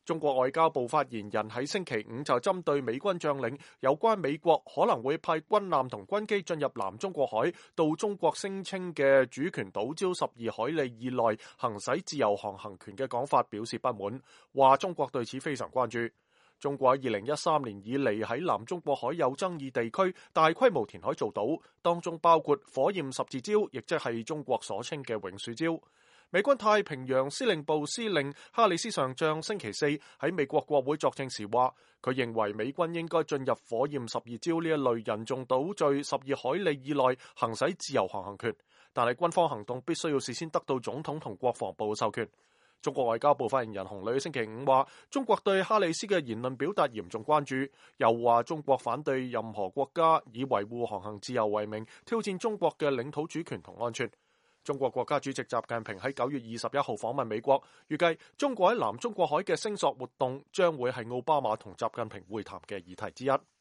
中國外交部發言人喺星期五就針對美軍將領有關美國可能會派軍艦同軍機進入南中國海到中國聲稱嘅主權島礁12海里以內行使自由航行權嘅講法表示不滿，話中國對此非常關注。中國喺2013年以嚟喺南中國海有爭議地區大規模填海造島，當中包括火焰十字礁，亦即係中國所稱嘅永暑礁。美軍太平洋司令部司令哈里斯上將星期四喺美國國會作證時話，佢認為美軍應該進入火焰十二礁呢一類人造島嶼12海里以內行使自由航行權，但係軍方行動必須要事先得到總統同國防部授權。中國外交部發言人洪磊星期五話，中國對哈里斯嘅言論表達嚴重關注，又話中國反對任何國家以維護航行自由為名挑戰中國嘅領土主權同安全。中國國家主席習近平喺9月21號訪問美國，預計中國喺南中國海嘅聲索活動將會係奧巴馬同習近平會談嘅議題之一。